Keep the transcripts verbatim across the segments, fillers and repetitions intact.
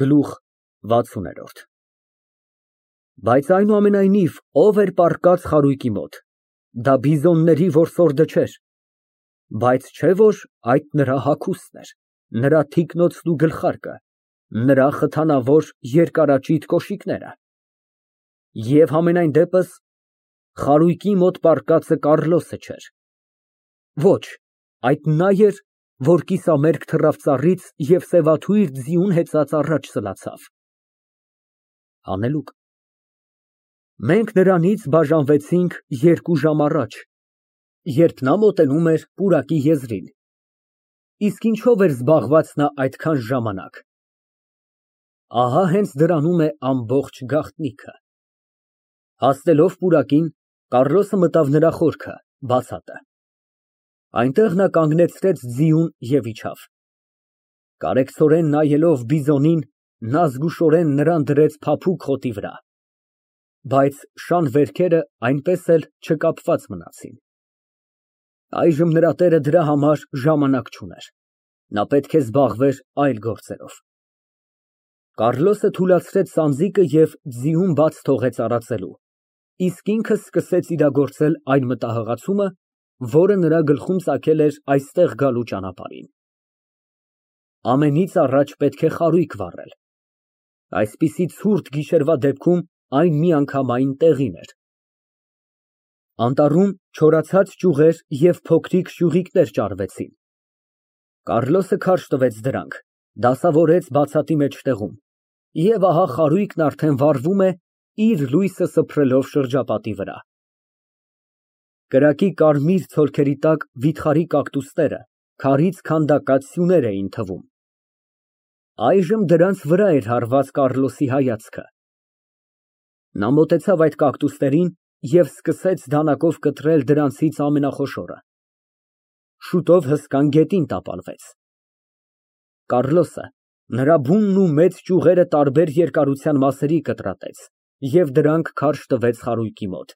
Գլուխ վաթսուն։ Բայց այնուամենայնիվ, ո՞վ էր պառկած խարույկի մոտ, դա բիզոնների որսորդը չէր, բայց չէ որ այդ նրա հագուստն էր, նրա թիկնոցն ու գլխարկը, նրա խթանավոր երկարաճիտ կոշիկները։ Եվ համենայն դեպս խարույկի մոտ պառկածը Կառլոսը չէր։ Ոչ, այդ նա էր, որ կիսամերկ թռավ ծառից և սևաթույր ձիուն հեծած առաջ սլացավ։ Հանելուկ։ Մենք նրանից բաժանվեցինք երկու ժամ առաջ, երբ նա մոտենում էր պուրակի եզրին, իսկ ինչո՞վ էր զբաղված նա այդքան ժամանակ։ Ահա հենց դրանում է ամբողջ գաղտնիքը։ Հասնելով պուրակին, Կառլոսը մտավ նրա խորքը, բացատը։ Այնտեղ նա կանգնեցրեց ձիուն և իջավ։ Կարեկցորեն նայելով բիզոնին, նա զգուշորեն նրան դրեց փափուկ խոտի վրա, բայց շան վերքերը այնպես էլ չկապված մնացին։ Այժմ նրա տերը դրա համար ժամանակ չուներ, նա պետք է զբաղվեր այլ գործերով։ Կառլոսը թուլացրեց սանձիկը և ձիուն բաց թողեց արածելու, իսկ ինքը սկսեց իրագործել այն մտահղացումը, որը նրա գլխում ծագել էր այստեղ գալու ճանապարհին։ Ամենից առաջ պետք է խարույկ վառել։ Այսպիսի ցուրտ գիշերվա դեպքում այն միանգամայն տեղին էր։ Անտառում չորացած ճյուղեր և փոքրիկ շյուղիկներ ճարվեցին։ Կառլոսը քարշ տվեց դրանք, դասավորեց բացատի մեջտեղում, և ահա խարույկն արդեն վառվում է, իր լույսը սփռելով շրջապատի վրա։ Կրակի կարմիր ցոլքերի տակ վիթխարի կակտուսները քարից քանդակած սյուներ էին թվում։ Այժմ դրանց վրա էր հառված Կառլոսի հայացքը։ Նա մոտեցավ այդ կակտուսներին և սկսեց դանակով կտրել դրանցից ամենախոշորը։ Շուտով հսկան գետին տապալվեց։ Կառլոսը նրա բունն ու մեծ ճյուղերը տարբեր երկարության մասերի կտրատեց և դրանք քարշ տվեց խարույկի մոտ։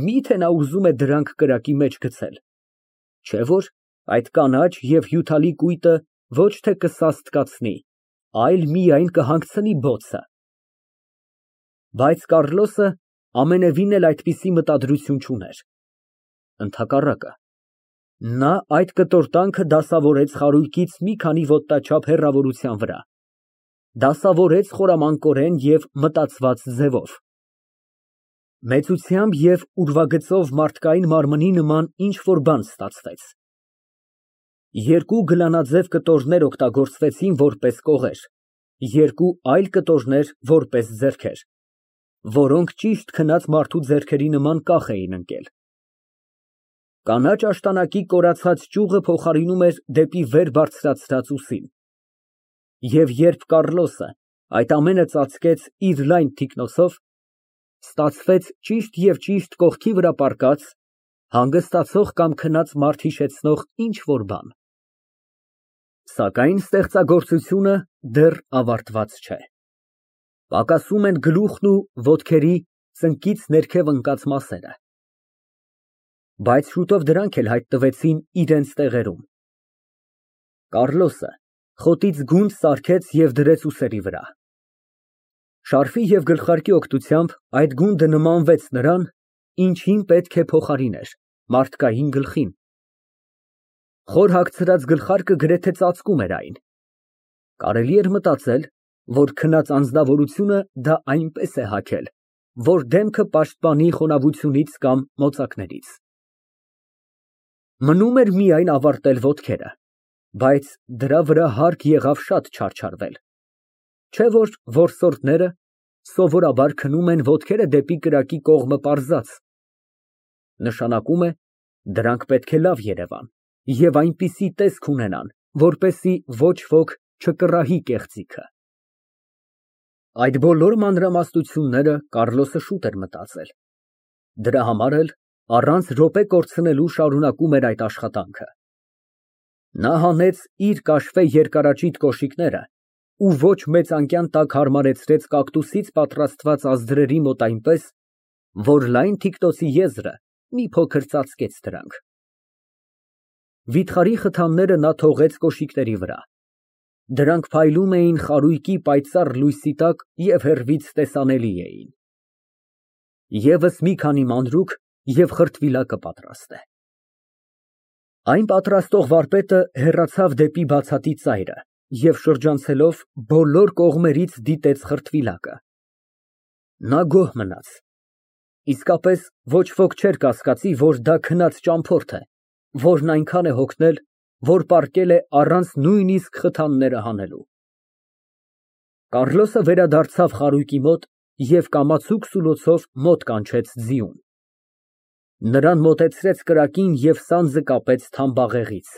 Մի՞թե նա ուզում է դրանք կրակի մեջ գցել, չէ՞ որ այդ կանաչ և հյութալի կույտը ոչ թե կսաստկացնի, այլ միայն կհանգցնի բոցը։ Բայց Կառլոսը ամենևին էլ այդպիսի մտադրություն չուներ։ Ընդհակառակը, նա այդ կտորտանքը դասավորեց խարույկից մի քանի ոտնաչափ հեռավորության վրա, դասավորեց խորամանկորեն և մտածված ձևով։ Մեծությամբ և ուրվագծով մարդկային մարմնի նման ինչ֊որ բան ստացվեց։ Երկու գլանաձև կտորներ օգտագործվեցին որպես կողեր, երկու այլ կտորներ որպես ձեռքեր, որոնք ճիշտ քնած մարդու ձեռքերի նման կախ էին ընկել։ Կանաչ աշտանակի կորացած ճյուղը փոխարինում էր դեպի վեր բարձրացրած ուսին։ Եվ երբ Կառլոսը այդ ամենը ծածկեց իր լայն թիկնոցով, ստացվեց ճիշտ և ճիշտ կողքի վրա պառկած, հանգստացող կամ քնած մարդ հիշեցնող ինչ֊որ բան։ Սակայն ստեղծագործությունը դեռ ավարտված չէ։ Պակասում են գլուխն ու ոտքերի ծնկից ներքև ընկած մասերը։ Բայց շուտով դրանք էլ հայտնվեցին իրենց տեղերում։ Կառլոսը խոտից գունդ սարքեց և դրեց ուսերի վրա։ Շարֆի և գլխարկի օգնությամբ այդ գունդը նմանվեց նրան, ինչին պետք է փոխարիներ, մարդկային գլխին։ Խոր հագցրած գլխարկը գրեթե ծածկում էր այն։ Կարելի էր մտածել, որ քնած անձնավորությունը դա այնպես է հագել, որ դեմքը պաշտպանի խոնավությունից կամ մոծակներից։ Մնում էր միայն ավարտել ոտքերը, բայց դրա վրա հարկ եղավ շատ չարչարվել, չէ՞ որ որսորդները սովորաբար քնում են ոտքերը դեպի կրակի կողմը պարզած, նշանակում է, դրանք պետք է լավ երևան և այնպիսի տեսք ունենան, որպեսզի ոչ ոք չկռահի կեղծիքը։ Այդ բոլոր մանրամասնությունները Կառլոսը շուտ էր մտածել, դրա համար էլ առանց րոպե կորցնելու շարունակում էր այդ աշխատանքը։ Նա հանեց իր կաշվե երկարաճիտ կոշիկները ու ոչ մեծանկյան տակ հարմարեցրեց կակտուսից պատրաստված ազդրերի մոտ այնպես, որ լայն թիկնոցի եզրը մի փոքր ծածկեց դրանք։ Վիթխարի խթանները նա թողեց կոշիկների վրա։ Դրանք փայլում էին խարույկի պայծառ լույսի տակ և հեռվից տեսանելի էին։ Եվս մի քանի մանրուք, և խրտվիլակը պատրաստ է։ Այն պատրաստող վարպետը հեռացավ դեպի բացատի ծայրը և շրջանցելով բոլոր կողմերից դիտեց խրտվիլակը։ Նա գոհ մնաց։ Իսկապես ոչ ոք չէր կասկածի, որ դա քնած ճամփորդ է, որն այնքան է հոգնել, որ պառկել է առանց նույնիսկ խթանները հանելու։ Կարլոսը վերադարձավ խարույկի մոտ և կամացուկ սուլոցով մոտ կանչեց ձիուն։ Նրան մոտեցրեց կրակին և սանձը կապեց թամբաղեղից։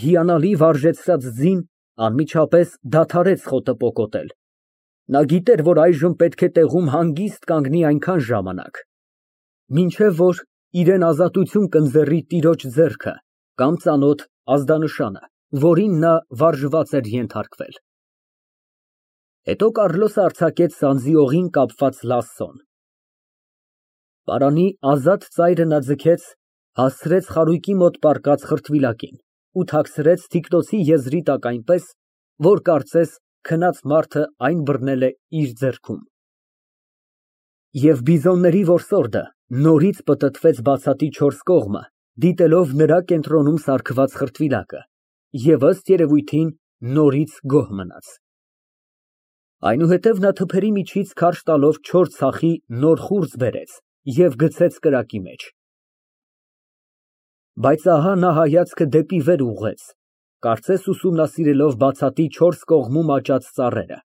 Հիանալի վարժեցրած ձին անմիջապես դադարեց խոտը պոկոտել։ Նա գիտեր, որ այժմ պետք է տեղում հանգիստ կանգնի այնքան ժամանակ, մինչև որ իրան ազատություն կընձեռի տիրոջ ձեռքը կամ ծանոթ ազդանշանը, որին նա վարժված էր ենթարկվել։ Հետո Կարլոսը արձակեց սանձի օղին կապված լասսոն։ Պարանի ազատ ծայրը նա ձգեց, հասցրեց խարույկի մոտ պառկած խրտվիլակին ու թաքցրեց թիկնոցի եզրի տակ այնպես, որ կարծես քնած մարդը այն բռնել է իր ձեռքում։ Եվ բիզոնների որսորդը նորից պտտվեց բացատի չորս կողմը, դիտելով նրա կենտրոնում սարքված խրտվիլակը, և ըստ երևույթին նորից գոհ մնաց։ Այնուհետև նա թփերի միջից քարշ տալով չոր ցախի նոր խուրձ բերեց և գցեց կրակի մեջ։ Բայց ահա նա հայացքը դեպի վեր ուղղեց, կարծես ուսումնասիրելով բացատի չորս կողմում աճած ծառերը։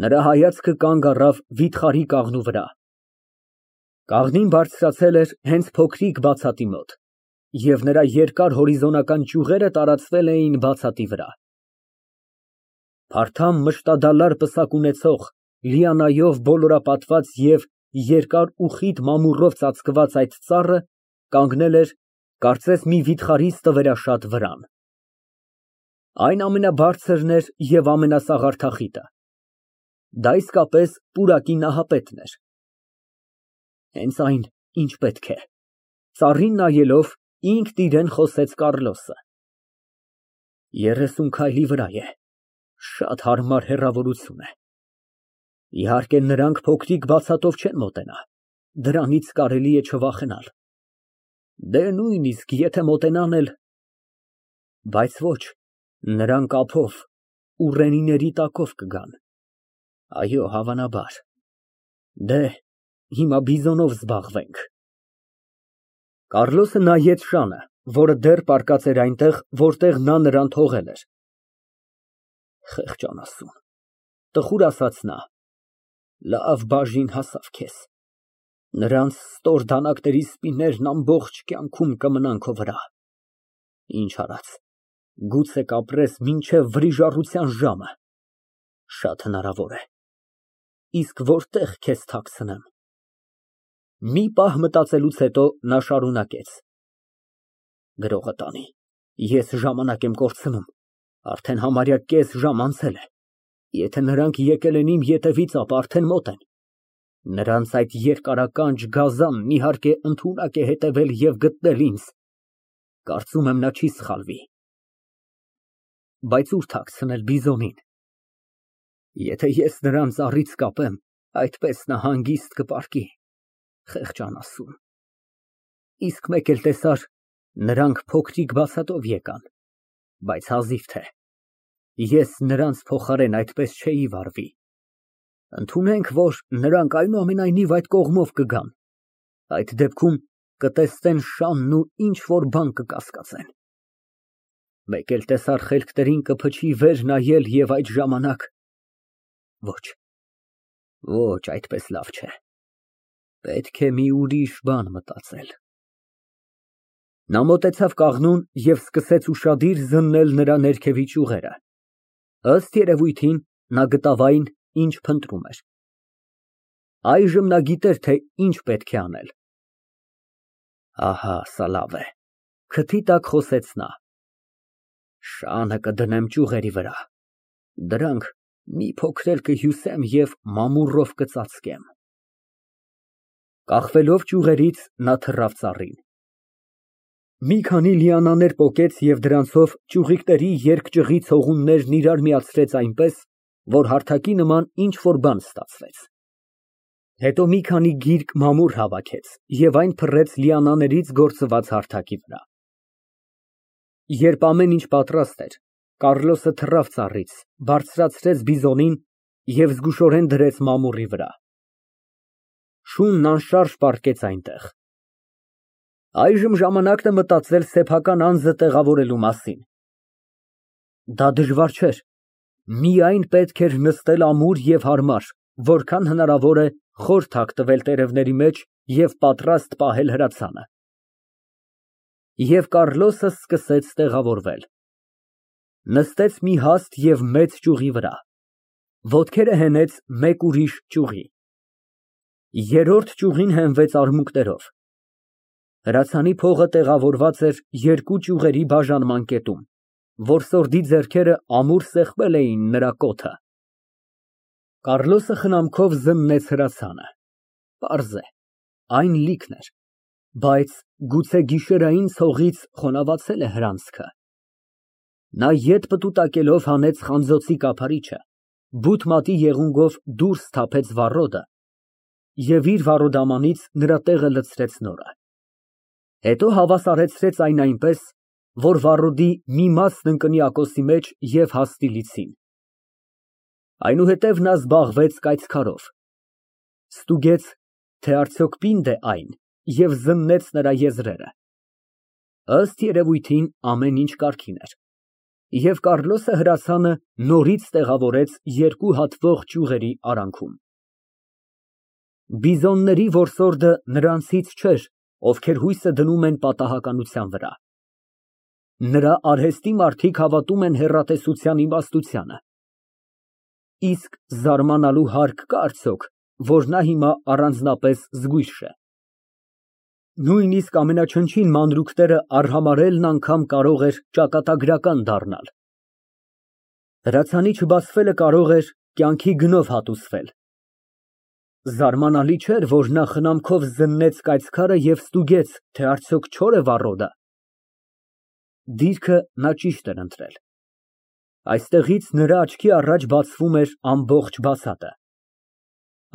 Նրա հայացքը կանգ առավ վիթխարի կաղնու վրա։ Կաղնին բարձրացել էր հենց փոքրիկ բացատի մոտ, և նրա երկար հորիզոնական ճյուղերը տարածվել էին բացատի վրա։ Փարթամ մշտադալար պսակ ունեցող, լիանայով բոլորապատված և երկար ու խիտ մամուռով ծածկված այդ ծառը կանգնել էր, կարծես մի վիթխարի ստվերաշատ վրան։ Այն ամենաբարձրն էր և ամենասաղարթախիտը։ Դա իսկապես պուրակի նահապետն էր։ Հենց այն, ինչ պետք է, ծառին նայելով, ինքն իրան խոսեց Կարլոսը։ Երեսուն քայլի վրա է, շատ հարմար հեռավորություն է։ Իհարկե, նրանք փոքրիկ բացատով չեն մոտենա, դրանից կարելի է չվախենալ։ Դե, նույնիսկ եթե մոտենան էլ… Բայց ոչ, նրանք ափով, ուռենիների տակով կգան։ Այո, հավանաբար։ Դե, հիմա բիզոնով զբաղվենք։ Կարլոսը նայեց Ժանը, որը դեռ պառկած էր այնտեղ, որտեղ նա նրան թողել էր։ Խեղճ անասուն, տխուր ասաց նա, լավ բաժին հասավ քեզ։ Նրանց ստոր դանակների սպիներն ամբողջ կյանքում կմնան քո վրա։ Ինչ արած, գուցե կապրես մինչև վրիժառության ժամը։ Շատ հնարավոր է։ Իսկ որտե՞ղ քեզ թաքցնեմ։ Մի պահ մտածելուց հետո նա շարունակեց. Գրողը տանի, ես ժամանակ եմ կորցնում, արդեն համարյա կես ժամ անցել է։ Եթե նրանք եկել են իմ ետևից, ապա արդեն մոտ են։ Նրանց այդ երկարականջ գազանն իհարկե ընդունակ է հետևել և գտնել ինձ։ Կարծում եմ նա չի սխալվի։ Բայց ո՞ւր թաքցնել բիզոնին։ Եթե ես նրան ծառից կապեմ, այդպես նա հանգիստ կպառկի։ Խեղճ անասուն։ Իսկ մեկ էլ տեսար, նրանք փոքրիկ բացատով եկան, բայց հազիվ թե։ Ես նրանց փոխարեն այդպես չէի վարվի։ Ընդունենք, որ նրանք այնուամենայնիվ այդ կողմով կգան, այդ դեպքում կտեսնեն շանն ու ինչ֊որ բան կկասկածեն։ Մեկ էլ տեսար խելքներին կփչի վեր նայել և այդ ժամանակ… Ոչ, ոչ, այդպես լավ չէ։ Պետք է մի ուրիշ բան մտածել։ Նա մոտեցավ կաղնուն և սկսեց ուշադիր զննել նրա ներքևի ճյուղերը։ Ըստ երևույթին, նա գտավ այն, ինչ փնտրում էր։ Այժմ նա գիտեր, թե ինչ պետք է անել։ Ահա, սա լավ է, քթի տակ խոսեց նա։ Շանը կդնեմ ճյուղերի վրա, դրանք մի փոքր էլ կհյուսեմ և մամուռով կծածկեմ։ Կախվելով ճյուղերից, նա թռավ ծառին։ Մի քանի լիանաներ պոկեց և դրանցով ճյուղիկների երկճյուղի ցողուններն իրար միացրեց այնպես, որ հարթակի նման ինչ֊որ բան ստացվեց։ Հետո մի քանի գիրք մամուռ հավաքեց և այն փռեց լիանաներից գործված հարթակի վրա։ Երբ ամեն ինչ պատրաստ էր, Կառլոսը թռավ ծառից, բարձրացրեց բիզոնին և զգուշորեն դրեց մամուռի վրա։ Շունն անշարժ պառկեց այնտեղ։ Այժմ ժամանակն է մտածել սեփական անձը տեղավորելու մասին։ Դա դժվար չէր, միայն պետք էր նստել ամուր և հարմար, որքան հնարավոր է խոր թակ տվել տերևների մեջ և պատրաստ պահել հրացանը։ Եվ Կառլոսը սկսեց տեղավորվել։ Նստեց մի հաստ և մեծ ճյուղի վրա, ոտքերը հենեց մեկ ուրիշ ճյուղի, երրորդ ճյուղին հենվեց արմունկներով։ Հրացանի փողը տեղավորված էր երկու ճյուղերի բաժանման կետում, որսորդի ձեռքերը ամուր սեղմել էին նրա կոթը։ Կառլոսը խնամքով զննեց հրացանը։ Պարզ է, այն լիքն էր, բայց գուցե գիշերային ցողից խոնավացել է հրանցքը։ Նա ետ պտուտակելով հանեց խանձոցի կափարիչը, բութ մատի եղունգով դուրս թափեց վառոդը և իր վառոդամանից նրա տեղը լցրեց նորը։ Հետո հավասարեցրեց այն այնպես, որ վառոդի մի մասն ընկնի ակոսի մեջ և հասնի լիցին։ Այնուհետև նա զբաղվեց կայծքարով, ստուգեց, թե արդյոք պինդ է այն և զննեց նրա եզրերը։ Ըստ երևույթին, ամեն ինչ կարգին էր, և Կառլոսը հրացանը նորից տեղավորեց երկու հատվող ճյուղերի արանքում։ Բիզոնների որսորդը նրանցից չէր, ովքեր հույսը դնում են պատահականության վրա։ Նրա արհեստի մարդիկ հավատում են հեռատեսության իմաստությանը։ Իսկ զարմանալու հարկ կա՞ արդյոք, որ նա հիմա առանձնապես զգույշ է։ Նույնիսկ ամենաչնչին մանրուքները արհամարհելն անգամ կարող էր ճակատագրական դառնալ։ Հրացանի չբացվելը կարող էր կյանքի գնով հատուցվել։ Զարմանալի չէր, որ նա խնամքով զննեց կայծքարը և ստուգեց, թե արդյոք չո՞ր է վառոդը։ Դիրքը նա ճիշտ էր ընտրել։ Այստեղից նրա աչքի առաջ բացվում էր ամբողջ բացատը։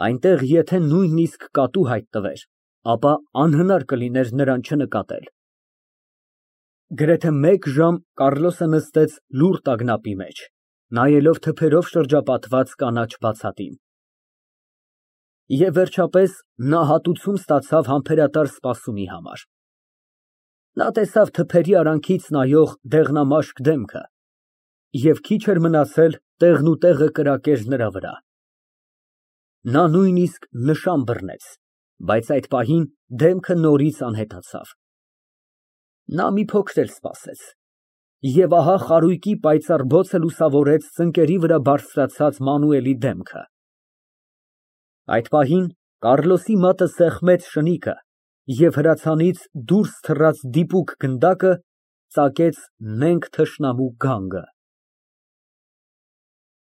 Այնտեղ եթե նույնիսկ կատու հայտնվեր, ապա անհնար կլիներ նրան չնկատել։ Գրեթե մեկ ժամ Կառլոսը նստեց լուռ տագնապի մեջ, նայելով թփերով շրջապատված կանաչ բացատին։ Եվ վերջապես նա հատուցում ստացավ համբերատար սպասումի համար։ Նա տեսավ թփերի արանքից նայող դեղնամաշկ դեմքը և քիչ էր մնացել տեղնուտեղը կրակեր նրա վրա։ Նա նույնիսկ նշան բռնեց, բայց այդ պահին դեմքը նորից անհետացավ։ Նա մի փոքր էլ սպասեց, և ահա խարույկի պայծառ բոցը լուսավորեց ծնկների վրա բարձրացած Մանուելի դեմքը։ Այդ պահին Կառլոսի մատը սեղմեց շնիկը, և հրացանից դուրս թռած դիպուկ գնդակը ծակեց նենգ թշնամու գանգը։